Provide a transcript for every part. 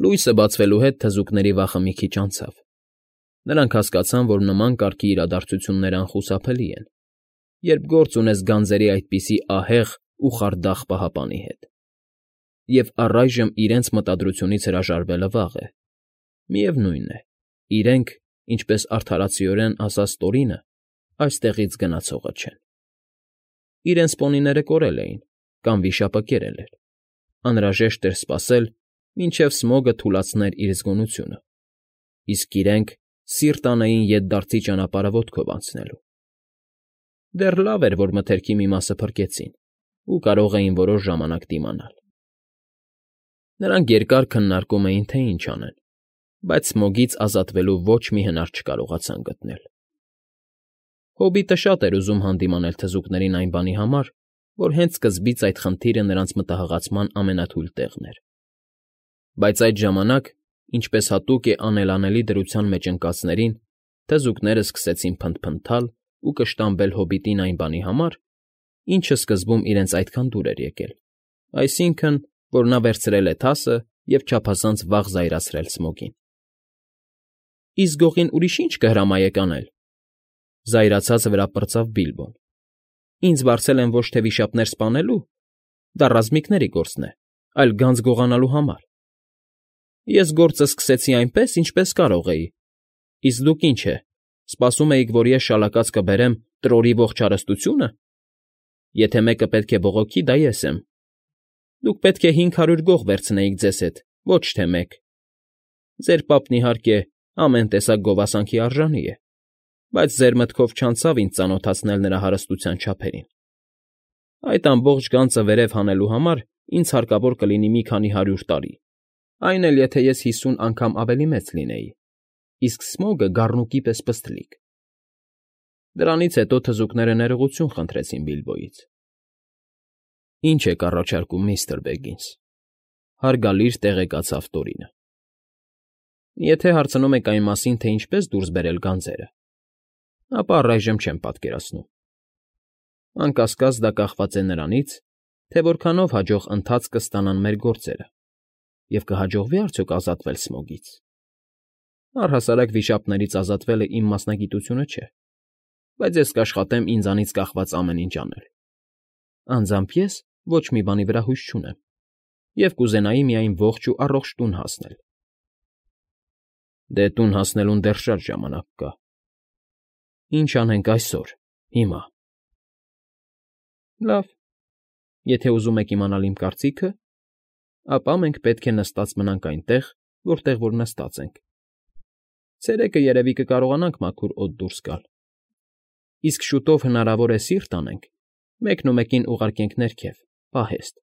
Լույսը բացվելու հետ թզուկների վախը մի քիչ անցավ. նրանք հասկացան, որ նման կարգի իրադարձությունները անխուսափելի են, երբ գործ ունես գանձերի այդպիսի ահեղ ու խարդախ պահապանի հետ, և առայժմ իրենց մտադրությունից հրաժարվելը վաղ է. միևնույն է, իրենք, ինչպես արդարացիորեն ասաց Տորինը, այստեղից գնացողը չեն։ Իրենց պոնիները կորել էին կամ վիշապը կերել էր, անհրաժեշտ էր սպասել, մինչև Սմոգը թուլացներ իր զգոնությունը, իսկ իրենք սիրտ անեին ետդարձի ճանապարհը ոտքով անցնելու։ Դեռ լավ էր, որ մթերքի մի մասը փրկեցին ու կարող էին որոշ ժամանակ դիմանալ։ Նրանք երկար քննարկում էին, թե ինչ անեն, բայց Սմոգից ազատվելու ոչ մի հնար չկարողացան գտնել։ Հոբիտը շատ էր ուզում հանդիմանել թզուկներին այն բանի համար, որ հենց սկզբից այդ խնդիրը նրանց մտահղացման ամենաթույլ տեղն էր։ Բայց այդ ժամանակ, ինչպես հատուկ է անելանելի դրության մեջ ընկածներին, թզուկները սկսեցին փնթփնթալ ու կշտամբել հոբիտին այն բանի համար, ինչը սկզբում իրենց այդքան դուր էր եկել, այսինքն, որ նա վերցրել է թասը և չափազանց վաղ զայրացրել Սմոգին։ Իսկ գողին ուրիշ ի՞նչ կհրամայեք անել,֊ զայրացած վրա պրծավ Բիլբոն։ Ինձ վարձել են ոչ թե վիշապներ սպանելու, դա ռազմիկների գործն է, այլ գանձ գողանալու համար։ Ես գործը սկսեցի այնպես, ինչպես կարող էի, իսկ դուք ինչ է, սպասում էիք, որ ես շալակած կբերեմ Տրորի ողջ հարստությո՞ւնը։ Եթե մեկը պետք է բողոքի, դա ես եմ։ Դուք պետք է 500 գող վերցնեիք ձեզ հետ, ոչ թե մեկ։ Ձեր պապն, իհարկե, ամեն տեսակ գովասանքի արժանի է, բայց ձեր մտքով չանցավ ինձ ծանոթացնել նրա հարստության չափերին։ Այդ ամբողջ գանձը վերև հանելու համար ինձ հարկավոր կլինի մի քանի 100 տարի, այն էլ եթե ես 50 անգամ ավելի մեծ լինեի, իսկ Սմոգը գառնուկի պես պստլիկ։ Դրանից հետո թզուկները ներողություն խնդրեցին Բիլբոյից։ Ինչ եք առաջարկում, միստր Բեգինս,֊ հարգալից տեղեկացավ Տորինը։ Եթե հարցնում եք այն մասին, թե ինչպես դուրս բերել գանձերը, ապա առայժմ չեմ պատկերացնում։ Անկասկած դա կախված է նրանից, թե որքանով հաջող ընթացք կստանան մեր գործերը և կհաջողվի՞ արդյոք ազատվել Սմոգից։ Առհասարակ վիշապներից ազատվելը իմ մասնագիտությունը չէ, բայց ես կաշխատեմ ինձանից կախված ամեն ինչ անել։ Անձամբ ես ոչ մի բանի վրա հույս չունեմ և կուզենայի միայն ողջ ու առողջ տուն հասնել։ Դե տուն հասնելուն դեռ շատ ժամանակ կա։ Ինչ անենք այսօր, հիմա։ Լավ, եթե ուզում եք իմանալ իմ կարծիքը, ապա մենք պետք է նստած մնանք այնտեղ, որտեղ որ նստած ենք։ Ցերեկը երևի կկարողանանք մաքուր օդ դուրս գալ, իսկ շուտով հնարավոր է սիրտ անենք, մեկնումեկին ուղարկենք ներքև, պահեստ,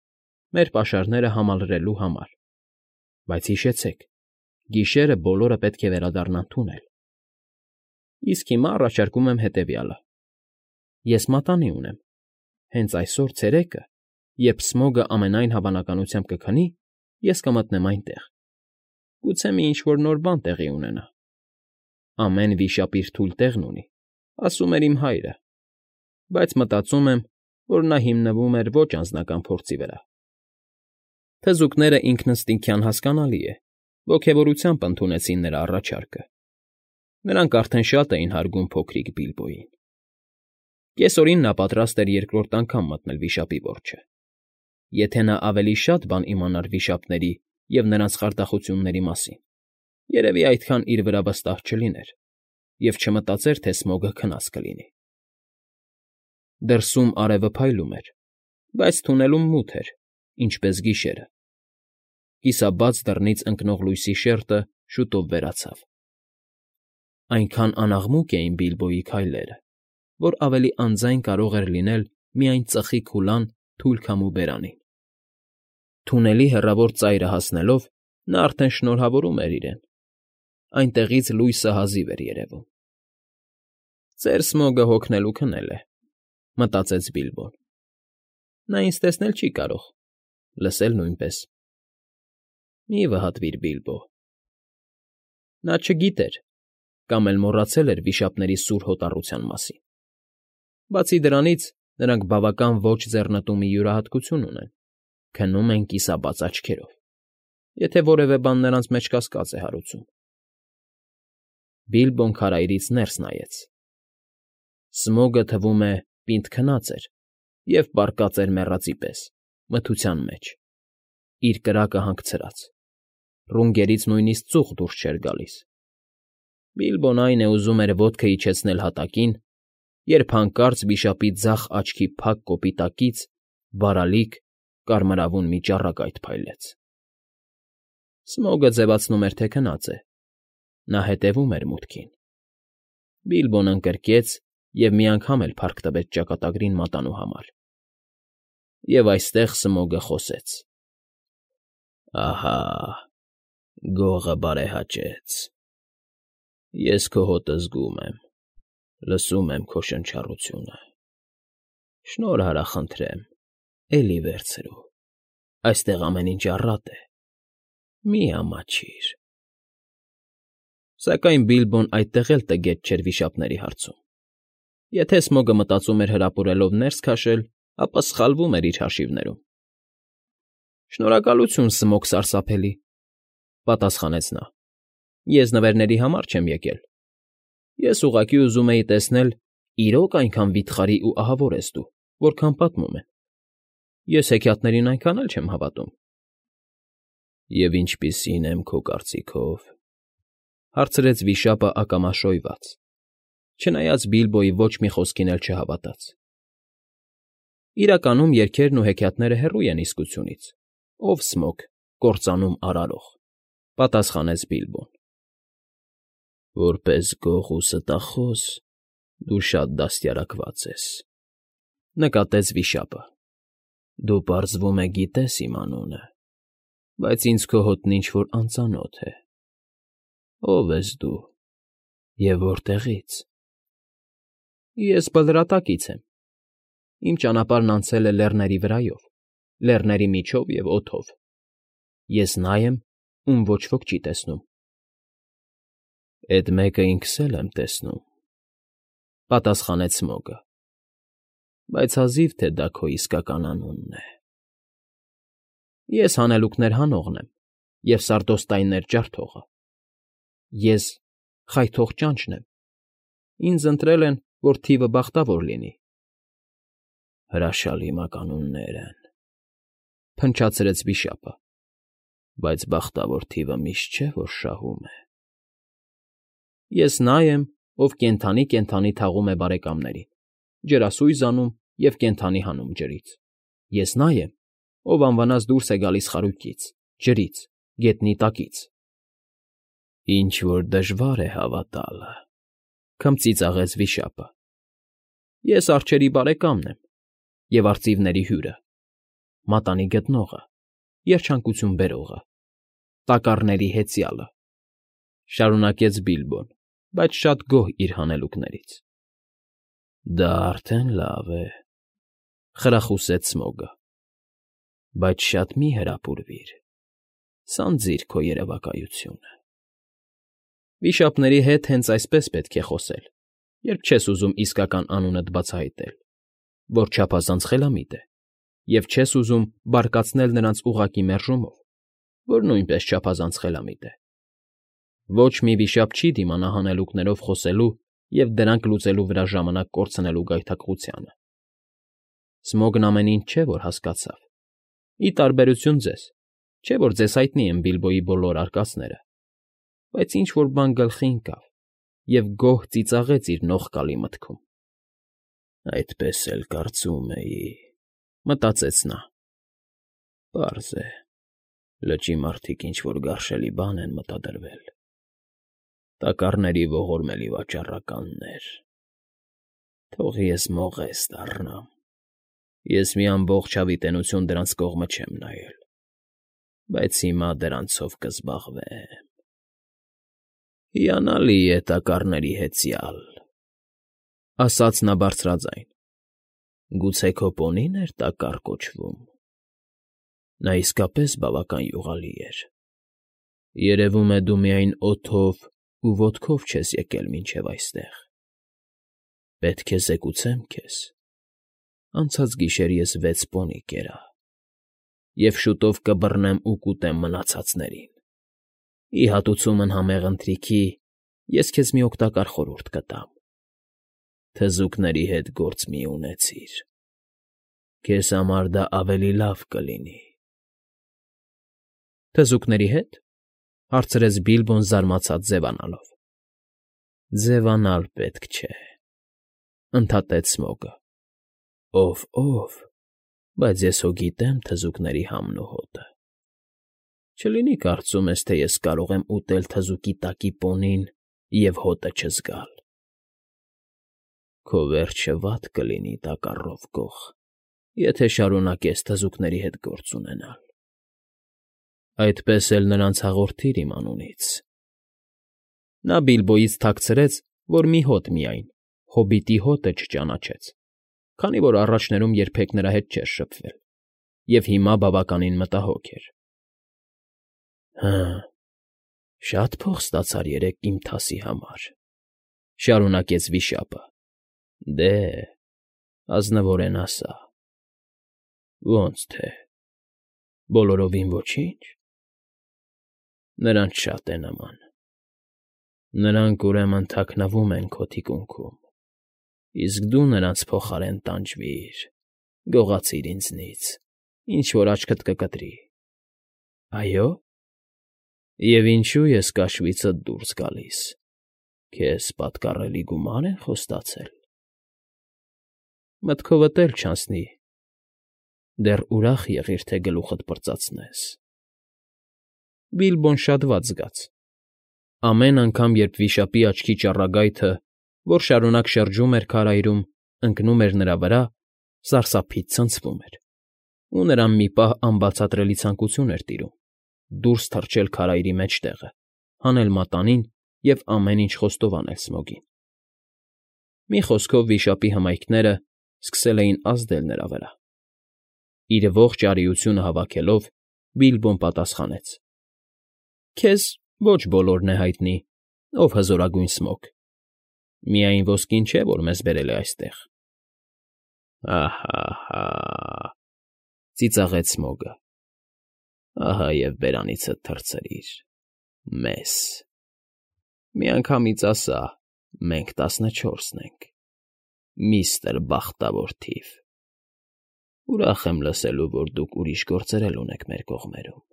մեր պաշարները համալրելու համար։ Բայց հիշեցեք, գիշերը բոլորը պետք է վերադառնան թունել։ Իսկ հիմա առաջարկում եմ հետևյալը. ես մատանի ունեմ, հենց այսօր ցերեկը, երբ Սմոգը ամենայն հավանականությամբ կքնի, ես կմտնեմ այնտեղ։ Գուցե մի ինչ֊որ նոր բան տեղի ունենա։ Ամեն վիշապ իր թույլ տեղն ունի, ասում էր իմ հայրը, բայց մտածում եմ, որ նա հիմնվում էր ոչ անձնական փորձի վրա։ Թզուկները ինքնըստինքյան հասկանալի է, ոգևորությամբ ընդունեցին նրա առաջարկը։ Նրանք արդեն շատ էին հարգում փոքրիկ Բիլբոյին։ Կեսօրին նա պատրաստ էր երկրորդ անգամ մտնել վիշապի որջը։ Եթե նա ավելի շատ բան իմանար վիշապների և նրանց խարդախությունների մասին, երևի այդքան իր վրա վստահ չլիներ և չմտածեր, թե Սմոգը քնած կլինի։ Դրսում արևը փայլում էր, բայց թունելում մութ էր, ինչպես գիշերը։ Կիսաբաց դռնից ընկնող լույսի շերջը շուտով վերացավ։ Այնքան անաղմուկ էին Բիլբոյի քայլերը, որ ավելի անձայն կարող էր լինել միայն ծխի քուլան թույլ քամու բերանին։ Թունելի հեռավոր ծայրը հասնելով՝ նա արդեն շնորհավորում էր իրեն։ Այնտեղից լույսը հազիվ էր երևում։ «Ծեր Սմոգը հոգնել ու քնել է,֊ մտածեց Բիլբոն։ Նա ինձ տեսնել չի կարող, լսել նույնպես։ Մի՛ վհատվիր, Բիլբո։ Նա չգիտեր կամ էլ մոռացել էր վիշապների սուր հոտառության մասին։ Բացի դրանից, նրանք բավական ոչ ձեռնտու մի յուրահատկություն ունեն՝ քնում են կիսաբաց աչքերով։ եթե որևէ բան նրանց մեջ կասկած է հարուցում։ Բիլբոն քարայրից ներս նայեց։ Սմոգը, թվում է, պինդ քնած էր և պառկած էր մեռածի պես, մթության մեջ, իր կրակը հանգցրած, ռունգներից նույնիսկ ծուխ դուրս չէր գալիս։ Բիլբոն, այն է, ուզում էր ոտքը իջեցնել հատակին, երբ հանկարծ վիշապի ձախ աչքի փակ կոպիտակից բարալիկ, կարմրավուն մի ճառագայթ փայլեց։ Սմոգը ձևացնում էր, թե քնած է։ Նա հետևում էր մուտքին։ Բիլբոն ընկրկեց և մի անգամ էլ փառք տվեց ճակատագրին մատանու համար։ Եվ այստեղ Սմոգը խոսեց. «Ահա, գողը բարեհաճեց։ Ես քո հոտը զգում եմ, լսում եմ քո շնչառությունը։ Շնորհ արա, խնդրեմ, էլի վերցրու, այստեղ ամեն ինչ առատ է, մի ամաչիր»։ Սակայն Բիլբոն այդտեղ էլ տգետ չէր վիշապների հարցում։ Եթե Սմոգը մտածում էր հրապուրելով ներս քաշել, ապա սխալվում էր իր հաշիվներում։ «Շնորհակալություն, Սմոգ սարսափելի», պատասխանեց նա։ «Ես նվերների համար չեմ եկել։ Ես ուղղակի ուզում էի տեսնել, իրոք այնքան վիթխարի ու ահավոր ես դու, որքան պատմում են։ Ես հեքիաթներին այնքան էլ չեմ հավատում»։ «Եվ ինչպիսի՞ն եմ քո կարծիքով», հարցրեց վիշապը ակամաշոյված, չնայած Բիլբոյի ոչ մի խոսքին էլ չհավատաց։ «Իրականում երգերն ու հեքիաթները հեռու են իսկությունից, ով Սմոգ, կործանում արարող», պատասխանեց Բիլբոն։ «Որպես գող ու ստախոս դու շատ դաստիարակված ես», նկատեց վիշապը։ «Դու, պարզվում է, գիտես իմ անունը, բայց ինձ քո հոտն ինչ֊որ անծանոթ է։ Ո՞վ ես դու և որտեղի՞ց»։ «Ես Բլրատակից եմ։ Իմ ճանապարհն անցել է լեռների վրայով, լեռների միջով և օդով։ Ես նա եմ, ում ոչ ոք չի տեսնում»։ «Էդ մեկը ինքս էլ եմ տեսնում», պատասխանեց Սմոգը, «բայց հազիվ թե դա քո իսկական անունն է»։ «Ես Հանելուկներ հանողն եմ և սարդոստայններ ջարդողը։ Ես Խայթող Ճանճն եմ։ Ինձ ընտրել են, որ թիվը բախտավոր լինի»։ «Հրաշալի մականուններ են», փնչացրեց վիշապը, «բայց բախտավոր թիվը միշտ չէ, որ շահում է»։ «Ես նա եմ, ով կենդանի թաղում է բարեկամներին, ջրասույզ անում և կենդանի հանում ջրից։ Ես նա եմ, ով անվնաս դուրս է գալիս խարույկից, ջրից, գետնի տակից»։ «Ինչ֊որ դժվար է հավատալը», քմծիծաղեց վիշապը։ «Ես արջերի բարեկամն եմ և արծիվների հյուրը, մատանի գտնողը, երջանկություն բերողը, տակառների հեծյալը», շարունակեց Բիլբոն, բայց շատ գոհ իր հանելուկներից։ «Դա արդեն լավ է», խրախուսեց Սմոգը, «բայց շատ մի հրապուրվիր, սանձիր քո երևակայությունը»։ Վիշապների հետ հենց այսպես պետք է խոսել, երբ չես ուզում իսկական անունդ բացահայտել, որ չափազանց խելամիտ է, և չես ուզում բարկացնել նրանց ուղղակի մերժումով, որ նույնպես չափազանց խելամիտ է։ Ոչ մի վիշապ չի դիմանա հանելուկներով խոսելու և դրանք լուծելու վրա ժամանակ կորցնելու գայթակղությանը։ Սմոգն ամեն ինչ չէ, որ հասկացավ։ Ի տարբերություն ձեզ, չէ՞ որ ձեզ հայտնի են Բիլբոյի բոլոր արկածները, բայց ինչ֊որ բան գլխի ընկավ և գոհ ծիծաղեց իր նողկալի մտքում։ «Այդպես էլ կարծում էի», մտածեց նա։ «Պարզ է, լճի մարդիկ ինչ֊որ գարշելի բան են մտադրվել։ Տակառների ողորմելի վաճառականներ։ Թող ես մողես դառնամ։ Ես մի ամբողջ հավիտենականություն դրանց կողմը չեմ նայել, բայց հիմա դրանցով կզբաղվեմ։ Հիանալի է, տակառների հեծյալ», ասաց նա բարձրաձայն։ «Գուցե քո պոնի՞ն էր Տակառ կոչվում։ Նա իսկապես բավական յուղալի էր։ Երևում է, դու միայն օդով ու ոտքով չես եկել մինչև այստեղ։ Պետք է զեկուցեմ քեզ. անցած գիշեր ես 6 պոնի կերա։ և շուտով կբռնեմ ու կուտեմ մնացածներին։ Ի հատուցումն համեղ ընթրիքի ես քեզ մի օգտակար խորհուրդ կտամ. թզուկների հետ գործ մի՛ ունեցիր, քեզ համար դա ավելի լավ կլինի։ ֊ Թզուկների հետ,֊ հարցրեց Բիլբոն զարմացած ձևանալով։ ֊ Ձևանալ պետք չէ,֊ ընդհատեց Սմոգը։ ով, բայց ես հո գիտեմ թզուկների համն ու հոտը։ Չլինի կարծում ես, թե ես կարող եմ ուտել թզուկի տակի պոնին և հոտը չզգալ։ Քո վերջը վատ կլինի, Տակառով գող, եթե շարունակես թզուկների հետ գործ ունենալ։ Այդպես էլ նրանց հաղորդիր իմ անունից։ Նա Բիլբոյից թաքցրեց, որ մի հոտ միայն, հոբիտի հոտը չճանաչեց, քանի որ առաջներում երբեք նրա հետ չէր շփվել և հիմա բավականին մտահոգ էր։ ֊ Շատ փող ստացար երեկ իմ թասի համար,֊ շարունակեց վիշապը։ Դե, ազնվորեն ասա։ Ոնց թե, բոլորովին ոչի՞նչ։ Նրանց շատ է նման։ Նրանք, ուրեմն, թաքնվում են քո թիկունքում, իսկ դու նրանց փոխարեն տանջվիր, գողացիր ինձնից, ինչ֊որ աչքդ կկտրի։ Այո՞։ Եվ ինչո՞ւ ես կաշվիցդ դուրս գալիս, քեզ պատկառելի գումա՞ր են խոստացել։ Մտքովդ էլ չանցնի, դեռ ուրախ եղիր, թե գլուխդ պրծացնես։ Բիլբոն շատ վատ զգաց։ Ամեն անգամ, երբ վիշապի աչքի ճառագայթը, որ շարունակ շրջում էր քարայրում, ընկնում էր նրա վրա, սարսափից ցնցվում էր, ու նրան մի պահ անբացատրելի ցանկություն էր տիրում դուրս թռչել քարայրի մեջտեղը, հանել մատանին և ամեն ինչ խոստովանել Սմոգին։ Մի խոսքով, վիշապի հմայքները սկսել էին ազդել նրա վրա։ Իր ողջ արիությունը հավաքելով, Բիլբոն պատասխանեց. Քեզ ոչ բոլորն է հայտնի, ով հզորագույն Սմոգ, միայն ոսկին չէ, որ մեզ բերել է այստեղ։ Ահա,֊ ծիծաղեց Սմոգը։ Ահա և բերանիցդ թռցրիր, մեզ։ Միանգամից ասա, մենք 14-ն ենք, միստր Բախտավոր Թիվ։ Ուրախ եմ լսելու, որ դուք ուրիշ գործեր էլ ունեք մեր կողմերում։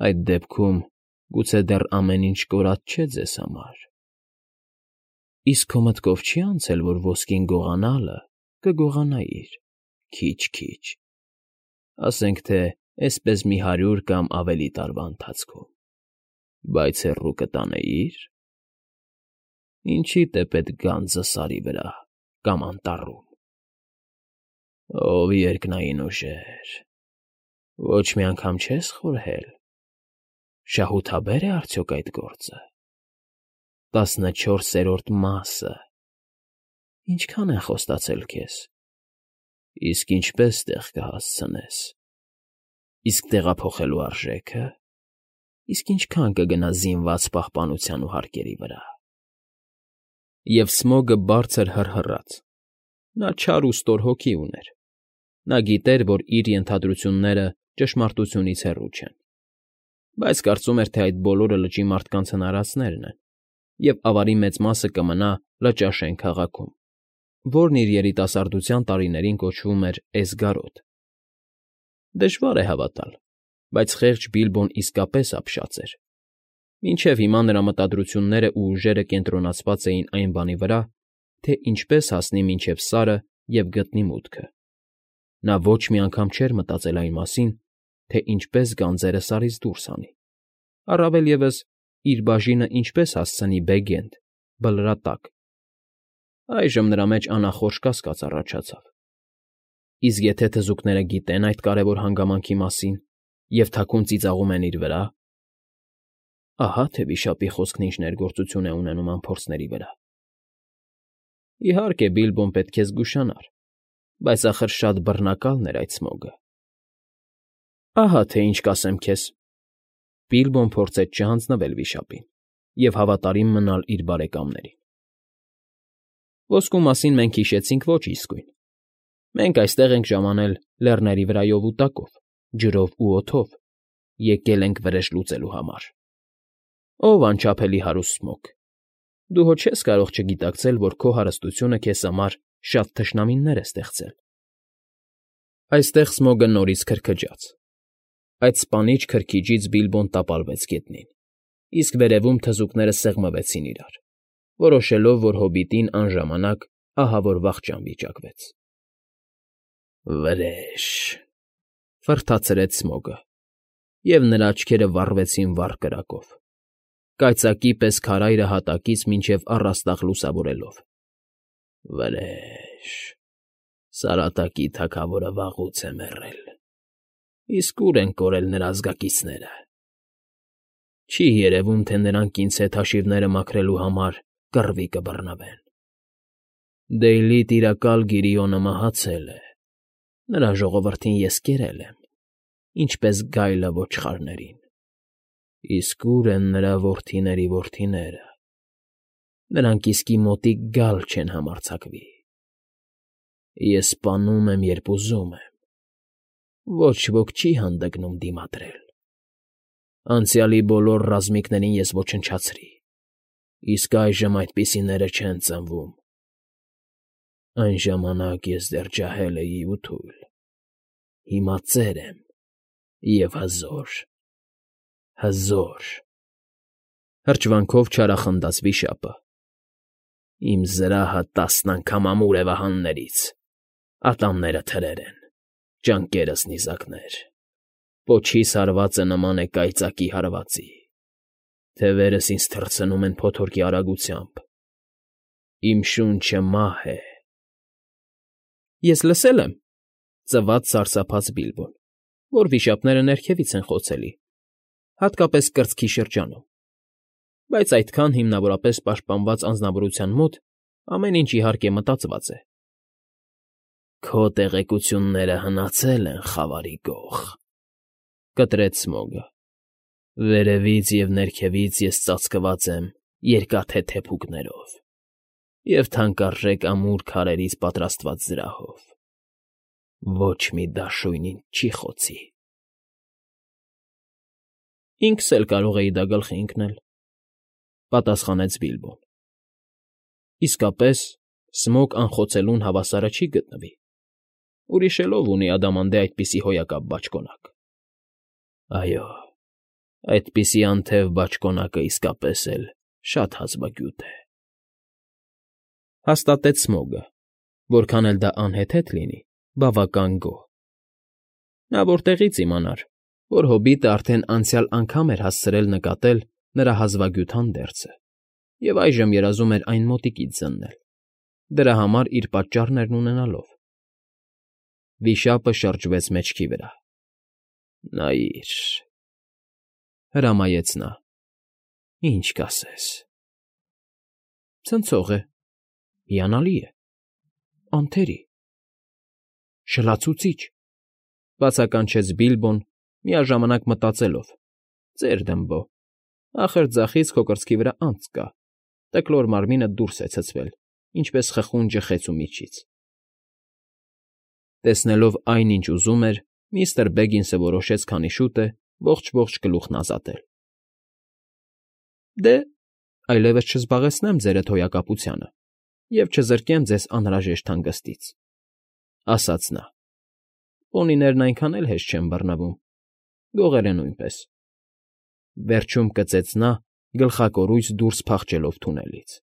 Այդ դեպքում գուցե դեռ ամեն ինչ կորած չէ ձեզ համար։ Իսկ քո մտքով չի՞ անցել, որ ոսկին գողանալը կգողանայիր քիչ֊քիչ, ասենք թե էսպես մի 100 կամ ավելի տարվա ընթացքում, բայց հեռու կտանեիր։ Ինչիդ է պետք գանձը սարի վրա կամ անտառում։ Ով երկնային ուժեր, ոչ մի անգամ չես խորհել. շահութաբե՞ր է արդյոք այդ գործը։ 14-րդ մասը։ Ինչքան են խոստացել քեզ։ Իսկ ինչպես տեղ կհասցնես։ Իսկ տեղափոխելու արժե՞քը։ Իսկ ինչքան կգնա զինված պահպանության ու հարկերի վրա։ Եվ Սմոգը բարձր հռհռաց։ Նա չար ու ստոր հոգի ուներ։ Նա գիտեր, որ իր ենթադրությունները ճշմարտությունից հեռու չեն, բայց կարծում էր, թե այդ բոլորը լճի մարդկանց հնարածներն են, և ավարի մեծ մասը կմնա Լճաշեն քաղաքում, որն իր երիտասարդության տարիներին կոչվում էր Էսգարոտ։ Դժվար է հավատալ, բայց խեղճ Բիլբոն իսկապես ապշած էր։ Մինչև հիմա նրա մտադրություններն ու ուժերը կենտրոնացված էին այն բանի վրա, թե ինչպես հասնի մինչև Սարը և գտնի մուտքը։ Նա ոչ մի անգամ չէր մտածել այն մասին, թե ինչպես գանձերը Սարից դուրս հանի, առավել ևս իր բաժինը ինչպես հասցնի Բեգ֊Էնդ, Բլրատակ։ Այժմ նրա մեջ անախորժ կասկած առաջացավ. իսկ եթե թզուկները գիտեն այդ կարևոր հանգամանքի մասին և թաքուն ծիծաղում են իր վրա… Ահա թե վիշապի խոսքն ինչ ներգործություն է ունենում անփորձների վրա։ Իհարկե, Բիլբոն պետք է զգուշանար, բայց ախր շատ բռնակալն էր այդ Սմոգը։ Ահա թե ինչ կասեմ քեզ։ Բիլբոն փորձեց չհանձնվել վիշապին և հավատարիմ մնալ իր բարեկամներին։ Ոսկու մասին մենք հիշեցինք ոչ իսկույն։ Մենք այստեղ ենք ժամանել լեռների վրայով ու տակով, ջրով ու օդով, եկել ենք վրեժ լուծելու համար։ Ով անչափելի հարուստ Սմոգ, դու հո չես կարող չգիտակցել, որ քո հարստությունը քեզ համար շատ թշնամիներ է ստեղծել։ Այստեղ Սմոգը նորից քրքջաց։ Այդ սպանիչ քրքիջից Բիլբոն տապալվեց գետնին, իսկ վերևում թզուկները սեղմվեցին իրար, որոշելով, որ հոբիտին անժամանակ ահավոր վախճան վիճակվեց։ Վրեժ, ֆռթացրեց Սմոգը, և նրա աչքերը վառվեցին վառ կրակով, կայծակի պես քարայրը հատակից մինչև առաստաղ լուսավորելով։ Վրեժ, Սարատակի թագավորը վաղուց է մեռել, իսկ ուր են կորել նրա ազգակիցները։ Չի երևում, թե նրանք ինձ հետ հաշիվները մաքրելու համար կռվի կբռնվեն։ Դեյլի տիրակալ Գիրիոնը մահացել է, նրա ժողովրդին ես կերել եմ, ինչպես գայլը ոչխարներին, իսկ ուր են նրա որդիների որդիները։ Նրանք իսկի մոտիկ գալ չեն համարձակվի։ Ես սպանում եմ, երբ ուզում եմ, ոչ ոք չի հանդգնում դիմադրել։ Անցյալի բոլոր ռազմիկներին ես ոչնչացրի, իսկ այժմ այդպիսիները չեն ծնվում։ Այն ժամանակ ես դեռ ջահել էի ու թույլ, հիմա ծեր եմ և հզոր, հզոր… Հրճվանքով չարախնդաց վիշապը։ Իմ զրահը 10 անգամ ամուր է վահաններից, ատամները թրեր են, ճանկերս նիզակներ, պոչիս հարվածը նման է կայծակի հարվածի, թևերս ինձ թռցնում են փոթորկի արագությամբ, իմ շունչը մահ է։ Ես լսել եմ, ծվաց սարսափած Բիլբոն, որ վիշապները ներքևից են խոցելի, հատկապես կրծքի շրջանում, բայց այդքան հիմնավորապես պաշտպանված անձնավորության մոտ ամեն ինչ իհարկե մտածված է։ Քո տեղեկությունները հնացել են, Խավարի գող, կտրեց Սմոգը։ Վերևից և ներքևից ես ծածկված եմ երկաթե թեփուկներով և թանկարժեք ամուր քարերից պատրաստված զրահով։ Ոչ մի դաշույն ինձ չի խոցի։ Ինքս էլ կարող էի դա գլխի ընկնել, պատասխանեց Բիլբոն։ Իսկապես, Սմոգ անխոցելուն հավասարը չի գտնվի։ Ուրիշ էլ ով ունի ադամանդե այդպիսի հոյակապ բաճկոնակ։ Այո, այդպիսի անթև բաճկոնակը իսկապես էլ շատ հազվագյուտ է, հաստատեց Սմոգը, որքան էլ դա անհեթեթ լինի, բավական գոհ։ Նա որտեղի՞ց իմանար, որ հոբիտը արդեն անցյալ անգամ էր հասցրել նկատել նրա հազվագյուտ հանդերձը և այժմ երազում էր այն մոտիկից զննել, դրա համար իր պատճառներն ունենալով։ Վիշապը շրջվեց մեջքի վրա։ Նայիր, հրամայեց նա, ինչ կասես։ Ցնցող է, հիանալի է, անթերի, շլացուցիչ, բացականչեց Բիլբոն, միաժամանակ մտածելով. ծեր դմբո, ախր ձախից քո կրծքի վրա անցք կա, տկլոր մարմինդ դուրս է ցցվել, ինչպես խխունջը խեցու միջից։ Տեսնելով այն, ինչ ուզում էր, միստր Բեգինսը որոշեց քանի շուտ է ողջ գլուխն ազատել։ Դե, այլևս չզբաղեցնեմ ձերդ հոյակապությանը և չզրկեմ ձեզ անհրաժեշտ հանգստից, ասաց նա։ Պոնիներն այնքան էլ հեշտ չեն բռնվում, գողերը նույնպես։ Վերջում կծեց նա, գլխակորույս դուրս փախչելով թունելից։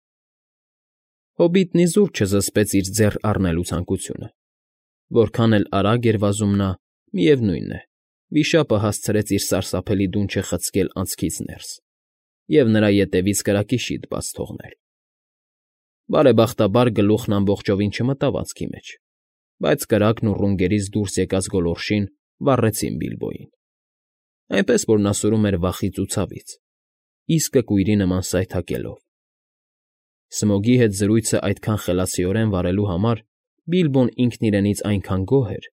Հոբիտն իզուր չզսպեց իր ձեռ առնելու ցանկությունը։ Որքան էլ արագ էր վազում նա, միևնույն է, վիշապը հասցրեց իր սարսափելի դունչը խցկել անցքից ներս և նրա ետևից կրակի շիթ բաց թողնել։ Բարեբախտաբար գլուխն ամբողջովին չմտավ անցքի մեջ, բայց կրակն ու ռունգերից դուրս եկած գոլորշին վառեցին Բիլբոյին, այնպես որ նա սուլում էր վախից ու ցավից, իսկը կույրի նման սայթաքելով։ Սմոգի հետ զրույցը այդքան խելացիորեն վարելու համար Բիլբոն ինքն իրենից այնքան գոհ էր,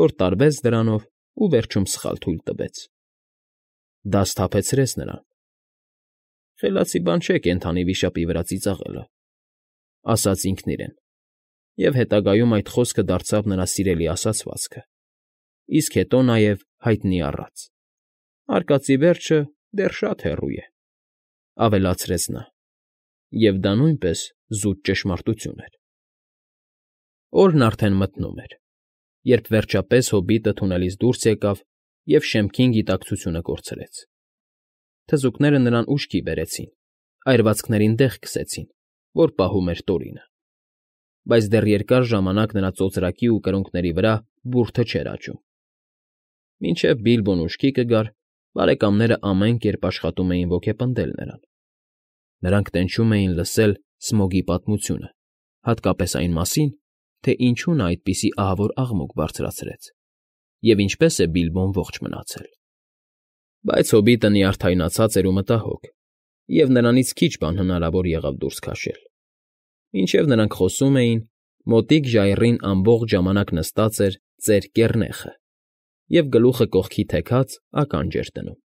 որ տարվեց դրանով ու վերջում սխալ թույլ տվեց։ Դա սթափեցրեց նրան։ Խելացի բան չէ կենդանի վիշապի վրա ծիծաղելը, ասաց ինքն իրեն, և հետագայում այդ խոսքը դարձավ նրա սիրելի ասացվածքը, իսկ հետո նաև հայտնի առած։ Արկածի վերջը դեռ շատ հեռու է, ավելացրեց նա, և դա նույնպես զուտ ճշմարտություն էր։ Օրն արդեն մթնում էր, երբ վերջապես հոբիտը թունելից դուրս եկավ և շեմքին գիտակցությունը կորցրեց։ Թզուկները նրան ուշքի բերեցին, այրվածքներին դեղ քսեցին, որ պահում էր Տորինը։ Բայց դեռ երկար ժամանակ նրա ծոծրակի ու կրունկների վրա բուրդը չէր աճում։ Մինչև Բիլբոն ուշքի կգար, բարեկամները ամեն կերպ աշխատում էին ոգեպնդել նրան։ Նրանք տենչում էին լսել Սմոգի պատմությունը, հատկապես այն մասին, թե ինչու նա այդպիսի ահավոր աղմուկ բարձրացրեց, և ինչպես է Բիլբոն ողջ մնացել։ Բայց հոբիտը նյարդայնացած էր ու մտահոգ, և նրանից քիչ բան հնարավոր եղավ դուրս քաշել։ Մինչև նրանք խոսում էին, մոտիկ ժայռին ամբողջ ժամանակ նստած էր ծեր կեռնեխը և գլուխը կողքի թեքած ականջ էր դնում։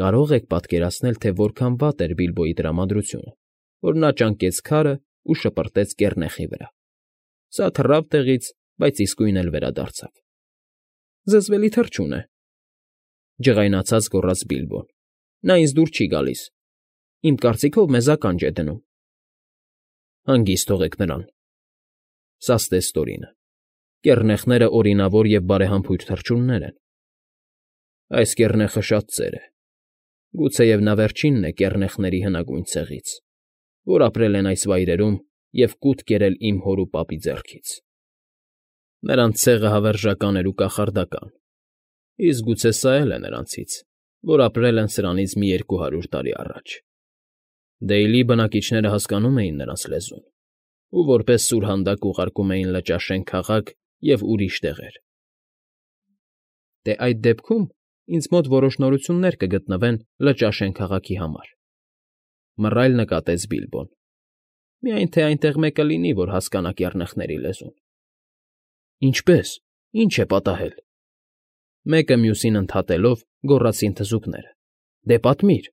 Կարո՞ղ եք պատկերացնել, թե որքան վատ էր Բիլբոյի տրամադրությունը, որ նա ճանկեց քարը ու շպրտեց կեռնեխի վրա։ Սա թռավ տեղից, բայց իսկույն էլ վերադարձավ։ Զզվելի թռչուն է,֊ ջղայնացած գոռաց Բիլբոն։֊ Նա ինձ դուր չի գալիս։ Իմ կարծիքով մեզ ականջ է դնում։ Հանգիստ թողեք նրան,֊ սաստեց Տորինը։ Կեռնեխները օրինավոր և բարեհամբույր թռչուններ են։ Այս կեռնեխը շատ ծեր է։ Գուցեև նա վերջինն է կեռնեխների հնագույն ցեղից, որ ապրել են այս վայրերում և կուտ կերել իմ հոր ու պապի ձեռքից։ Նրանց ցեղը հավերժական էր ու կախարդական, իսկ գուցե սա էլ է նրանցից, որ ապրել են սրանից մի 200 տարի առաջ։ Դեյլի բնակիչները հասկանում էին նրանց լեզուն ու որպես սուրհանդակ ուղարկում էին Լճաշեն քաղաք և ուրիշ տեղեր։ Դե այդ դեպքում ինձ մոտ որոշ նորություններ կգտնվեն Լճաշեն քաղաքի համար,֊ մռայլ նկատեց Բիլբոն։ Միայն թե այնտեղ մեկը լինի, որ հասկանա կեռնեխների լեզուն։ Ինչպե՞ս, ի՞նչ է պատահել,֊ մեկը մյուսին ընդհատելով գոռացին թզուկները։ Դե պատմիր։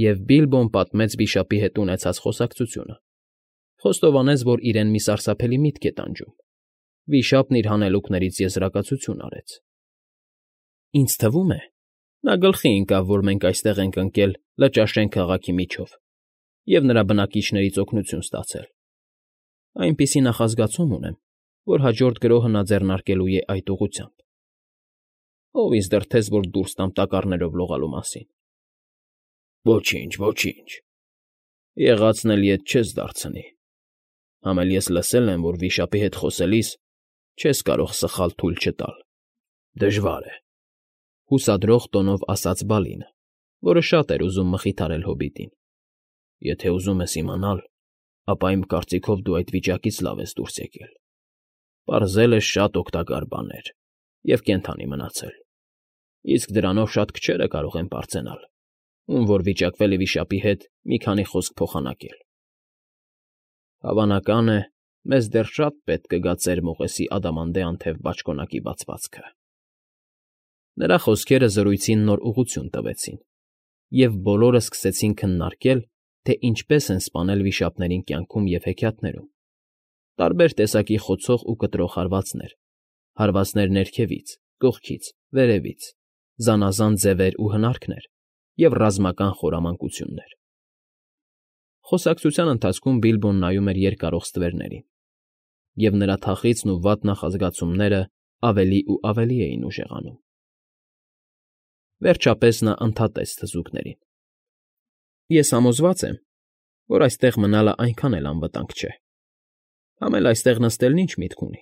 Եվ Բիլբոն պատմեց վիշապի հետ ունեցած խոսակցությունը, խոստովանեց, որ իրեն մի սարսափելի միտք է տանջում։ Վիշապն իր հանելուկներից եզրակացություն արեց։ Ինձ թվում է, նա գլխի ընկավ, որ մենք այստեղ ենք ընկել Լճաշեն քաղաքի միջով և նրա բնակիչներից օգնություն ստացել։ Այնպիսի նախազգացում ունեմ, որ հաջորդ գրոհը նա ձեռնարկելու է այդ ուղղությամբ։ Ո՞վ ինձ դրդեց, որ դուրս տամ տակառներով լողալու մասին։ Ոչինչ, ոչինչ, եղածն էլ ետ չես դարձնի։ Համ էլ ես լսել եմ, որ վիշապի հետ խոսելիս չես կարող սխալ թույլ չտալ։ Դժվար է,֊ հուսադրող տոնով ասաց Բալինը, որը շատ էր ուզում մխիթարել հոբիտին։ Եթե ուզում ես իմանալ, ապա իմ կարծիքով դու այդ վիճակից լավ ես դուրս եկել։ Պարզել ես շատ օգտակար բաներ և կենդանի մնացել։ Իսկ դրանով շատ քչերը կարող են պարծենալ, ում որ վիճակվել է վիշապի հետ մի քանի խոսք փոխանակել։ Հավանական է, մեզ դեռ շատ պետք կգա ծեր մողեսի ադամանդե անթև բաճկոնակի բացվածքը։ Նրա խոսքերը զրույցին նոր ուղղություն տվեցին, և բոլորը սկսեցին քննարկել, թե ինչպես են սպանել վիշապներին կյանքում և հեքիաթներում։ Տարբեր տեսակի խոցող ու կտրող հարվածներ ներքևից, կողքից, վերևից, զանազան ձևեր ու հնարքներ և ռազմական խորամանկություններ։ Խոսակցության ընթացքում Բիլբոն նայում էր երկարող ստվերներին, և նրա թախիծն ու վատ նախազգացումները ավելի ու ավելի էին ուժեղանում։ Վերջապես նա ընդհատեց թզուկներին. Ես համոզված եմ, որ այստեղ մնալը այնքան էլ անվտանգ չէ։ Համ էլ այստեղ նստելն ինչ միտք ունի։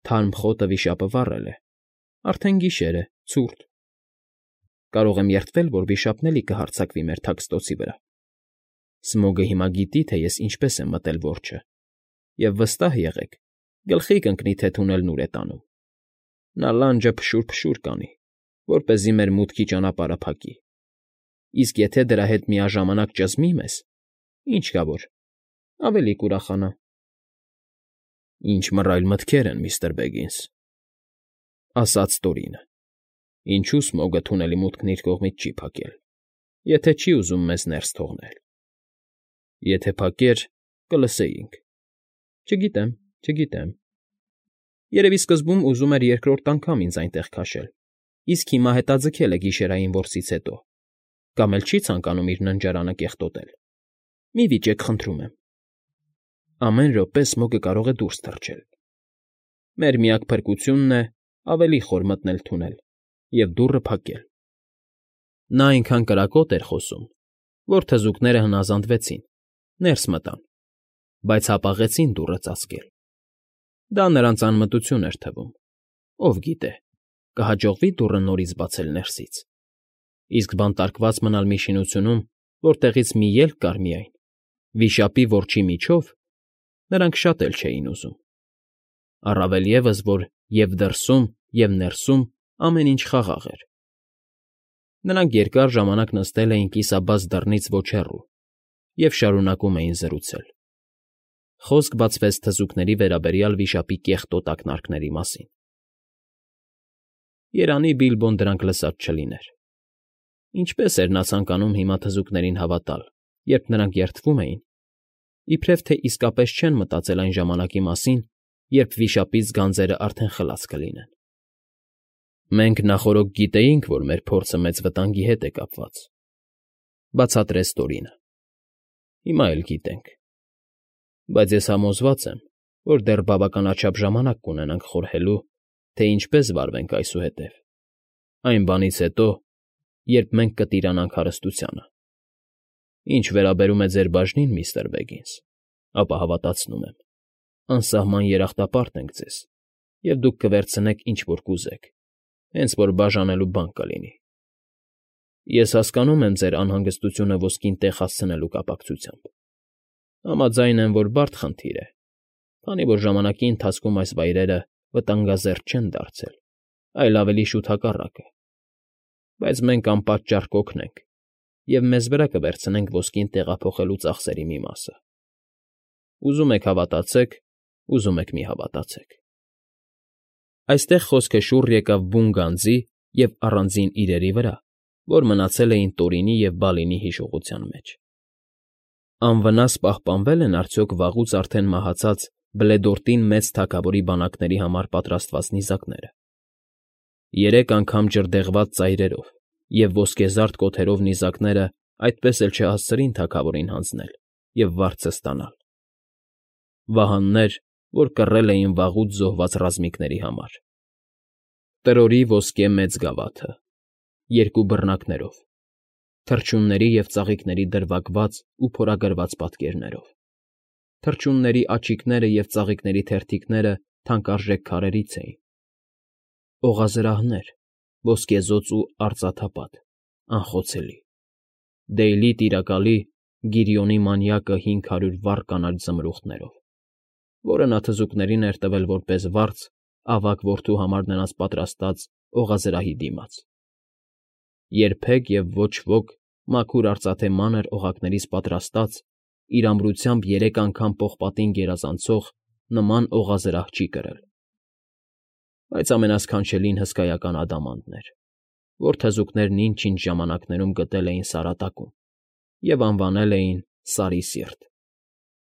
Թարմ խոտը վիշապը վառել է, արդեն գիշեր է, ցուրտ։ Կարող եմ երդվել, որ վիշապն էլի կհարձակվի մեր թաքստոցի վրա։ Սմոգը հիմա գիտի, թե ես ինչպես եմ մտել որջը, և վստահ եղեք, գլխի կընկնի, թե թունելն ուր է տանում։ Նա լանջը փշուր կանի, որպեսզի մեր մուտքի ճանապարհը փակի։ Իսկ եթե դրա հետ միաժամանակ ճզմի մեզ, ինչ կա որ, ավելի կուրախանա։ Ինչ մռայլ մտքեր են, միստր Բեգինս,֊ ասաց Տորինը։ Ինչու Սմոգը թունելի մուտքն իր կողմից չի փակել, եթե չի ուզում մեզ ներս թողնել։ Եթե փակեր, կլսեինք։ Չգիտեմ։ Երևի սկզբում ուզում էր երկրորդ անգամ ինձ այնտեղ քաշել, իսկ հիմա հետաձգել է գիշերային որսից հետո, կամ էլ չի ցանկանում իր ննջարանը կեղտոտել։ Մի վիճեք, խնդրում եմ։ Ամեն րոպե Սմոգը կարող է դուրս թռչել։ Մեր միակ փրկությունն է ավելի խոր մտնել թունել և դուռը փակել։ Նա այնքան կրակոտ էր խոսում, որ թզուկները հնազանդվեցին, ներս մտան, բայց հապաղեցին դուռը ծածկել։ Դա նրանց անմտություն էր թվում։ Ով գիտե, կհաջողվի դուռը նորից բացել ներսից։ Իսկ բանտարկված մնալ մի շինությունում, որտեղից մի ելք կար միայն, վիշապի որջի միջով, նրանք շատ էլ չէին ուզում։ Առավել ևս, որ և՛ դրսում, և՛ ներսում ամեն ինչ խաղաղ էր։ Նրանք երկար ժամանակ նստել էին կիսաբաց դռնից ոչ հեռու և շարունակում էին զրուցել։ Խոսք բացվեց թզուկների վերաբերյալ վիշապի կեղտոտ ակնարկների մասին։ Երանի Բիլբոն դրանք լսած չլիներ։ Ինչպե՜ս էր նա ցանկանում հիմա թզուկներին հավատալ, երբ նրանք երդվում էին, իբրև թե իսկապես չեն մտածել այն ժամանակի մասին, երբ վիշապից գանձերն արդեն խլած կլինեն։ Մենք նախօրոք գիտեինք, որ մեր փորձը մեծ վտանգի հետ է կապված,֊ բացատրեց Տորինը։ Հիմա էլ գիտենք։ Բայց ես համոզված եմ, որ դեռ բավականաչափ ժամանակ կունենանք խորհելու, թե ինչպես վարվենք այսուհետև, այն բանից հետո, երբ մենք կտիրանանք հարստությանը։ Ինչ վերաբերում է ձեր բաժնին, միստր Բեգինս, ապա հավատացնում եմ, անսահման երախտապարտ ենք ձեզ, և դուք կվերցնեք, ինչ որ կուզեք, հենց որ բաժանելու բան կլինի։ Ես հասկանում եմ ձեր անհանգստությունը ոսկին տեղ հասցնելու կապակցությամբ։ Համաձայն եմ, որ բարդ խնդիր է, քանի որ ժամանակի ընթացքում այս վայրերը վտանգազերծ չեն դարձել, այլ ավելի շուտ հակառակը։ Բայց մենք անպատճառ կօգնենք և մեզ վրա կվերցնենք ոսկին տեղափոխելու ծախսերի մի մասը։ Ուզում եք հավատացեք, ուզում եք մի հավատացեք։ Այստեղ խոսքը շուռ եկավ բուն գանձի և առանձին իրերի վրա, որ մնացել էին Տորինի և Բալինի հիշողության մեջ։ Անվնաս պահպանվե՞լ են արդյոք վաղուց արդեն մահացած Բլեդորտին մեծ թագավորի բանակների համար պատրաստված նիզակները։ 3 անգամ ջրդեղված ծայրերով և ոսկեզարդ կոթերով նիզակները այդպես էլ չհասցրին թագավորին հանձնել և վարձը ստանալ։ Վահաններ, որ կռել էին վաղուց զոհված ռազմիկների համար։ Տրորի ոսկե մեծ գավաթը, 2 բռնակներով, թռչունների և ծաղիկների դրվագված ու փորագրված պատկերներով, թռչունների աչիկները և ծաղիկների թերթիկները թանկարժեք քարերից էին, օղազրահներ, ոսկեզոծ ու արծաթապատ, անխոցելի, Դեյլի տիրակալի Գիրիոնի մանյակը 500 վառ կանաչ զմրուխտներով, որը նա թզուկներին էր տվել որպես վարձ ավագ որդու համար նրանց պատրաստած օղազրահի դիմաց։ Երբեք և ոչ ոք մաքուր արծաթե մանր օղակներից պատրաստած, իր ամրությամբ 3 անգամ պողպատին գերազանցող նման օղազրահ չի կրել։ Բայց ամենասքանչելին հսկայական ադամանդն էր, որ թզուկներն ինչ֊ինչ ժամանակներում գտել էին Սարատակում և անվանել էին Սարի Սիրտ,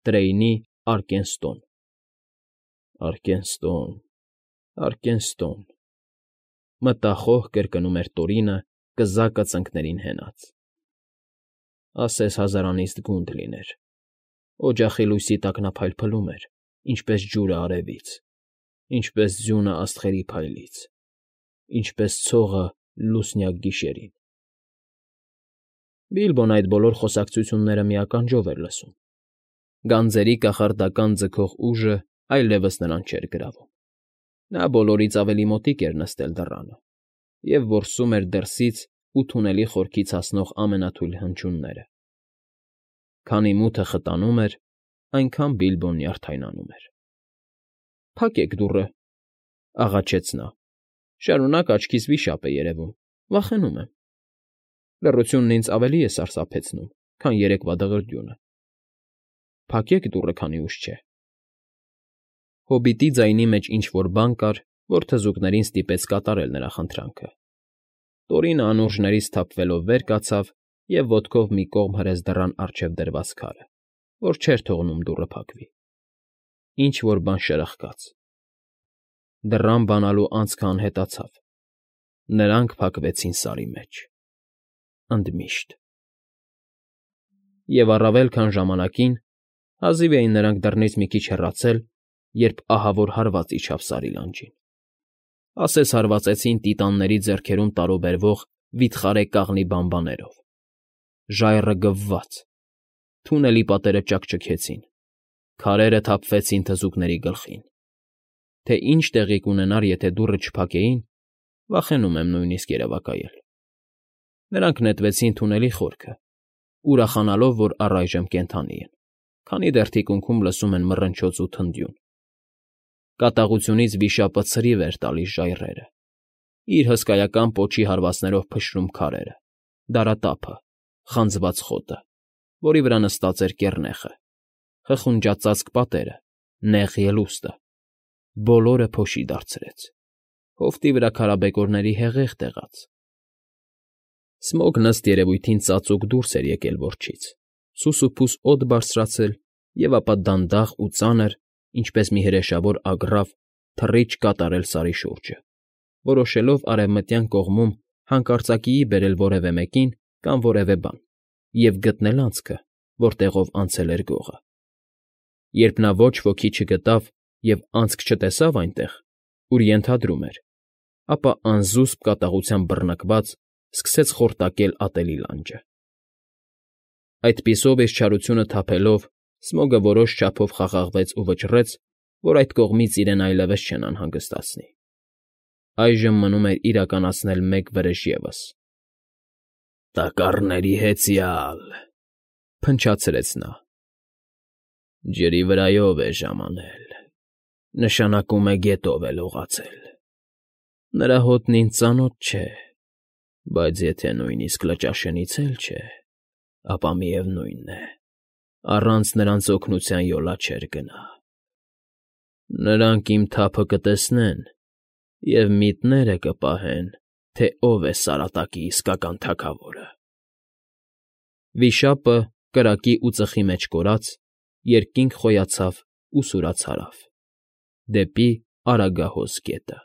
Տրեյնի Արկենստոն։ Արկենստոն, Արկենստոն, մտախոհ կրկնում էր Տորինը կզակը ծնկներին հենած։ Ասես հազարանիստ գունդ լիներ, օջախի լույսի տակ նա փայլփլում էր, ինչպես ջուրը արևից, ինչպես ձյունը աստղերի փայլից, ինչպես ցողը լուսնյակ գիշերին։ Բիլբոն այդ բոլոր խոսակցությունները մի ականջով էր լսում։ Գանձերի կախարդական ձգող ուժը այլևս նրան չէր գրավում։ Նա բոլորից ավելի մոտիկ էր նստել դռանը և որսում էր դրսից ու թունելի խորքից հասնող ամենաթույլ հնչյունները։ Քանի մութը խտանում էր, այնքան Բիլբոն նյարդայնանում էր։ «Փակեք դուռը,֊ աղաչեց նա,֊ շարունակ աչքիս վիշապ է երևում, վախենում եմ։ Լռությունն ինձ ավելի է սարսափեցնում, քան երեկվա դղրդյունը։ Փակեք դուռը, քանի ուշ չէ»։ Հոբիտի ձայնի մեջ ինչ֊որ բան կար, որ թզուկներին ստիպեց կատարել նրա խնդրանքը։ Տորինը անուրջներից սթափվելով վեր կացավ և ոտքով մի կողմ հրեց դռան առջև դրված քարը, որ չէր թողնում դուռը փակվի։ Ինչ֊որ բան շրխկաց։ դռան բանալու անցքը անհետացավ։ Նրանք փակվեցին Սարի մեջ… ընդմիշտ… Եվ առավել քան ժամանակին, հազիվ էին նրանք դռնից մի քիչ հեռացել, երբ ահավոր հարված իջավ Սարի լանջին, ասես հարվածեցին տիտանների ձեռքերում տարուբերվող վիթխարի կաղնի բաբաններով… Ժայռը գվվաց, թունելի պատերը ճաքճքեցին, քարերը թափվեցին թզուկների գլխին… Թե ինչ տեղի կունենար, եթե դուռը չփակեին, վախենում եմ նույնիսկ երևակայել… Նրանք նետվեցին թունելի խորքը, ուրախանալով, որ առայժմ կենդանի են, քանի դեռ թիկունքում լսում են մռնչոց ու թնդյուն… Կատաղությունից վիշապը ցրիվ էր տալիս ժայռերը, իր հսկայական պոչի հարվածներով փշրում քարերը, դարատափը, խանձված խոտը, որի վրա նստած էր կեռնեխը, խխունջածածկ պատերը, նեղ ելուստը… Բոլորը փոշի դարձրեց, հովտի վրա քարաբեկորների հեղեղ տեղաց… Սմոգն ըստ երևույթին ծածուկ դուրս էր եկել որջից, սուսուփուս օդ բարձրացել և ապա դանդաղ ու ծանր, ինչպես մի հրեշավոր ագռավ, թռիչք կատարել Սարի շուրջը, որոշելով արևմտյան կողմում հանկարծակիի բերել որևէ մեկին կամ որևէ բան և գտնել անցքը, որտեղով անցել էր գողը… Երբ նա ոչ ոքի չգտավ և անցք չտեսավ այնտեղ, ուր ենթադրում էր, ապա անզուսպ կատաղությամբ բռնկված սկսեց խորտակել ատելի լանջը… Այդպիսով իր չարությունը թափելով, Սմոգը որոշ չափով խաղաղվեց ու վճռեց, որ այդ կողմից իրեն այլևս չեն անհանգստացնի… Այժմ մնում էր իրականացնել մեկ վրեժ ևս… «Տակառների հեծյալ…֊ փնչացրեց նա։֊ Ջրի վրայով է ժամանել, նշանակում է գետով է լողացել… Նրա հոտն ինձ ծանոթ չէ, բայց եթե նույնիսկ Լճաշենից էլ չէ, ապա միևնույն է, առանց նրանց օգնության յոլա չէր գնա… Նրանք իմ թափը կտեսնեն և միտները կպահեն, թե ով է Սարատակի իսկական թագավորը… Վիշապը, կրակի ու ծխի մեջ կորած, երկինք խոյացավ ու սուրաց հարավ, դեպի Արագահոս գետը։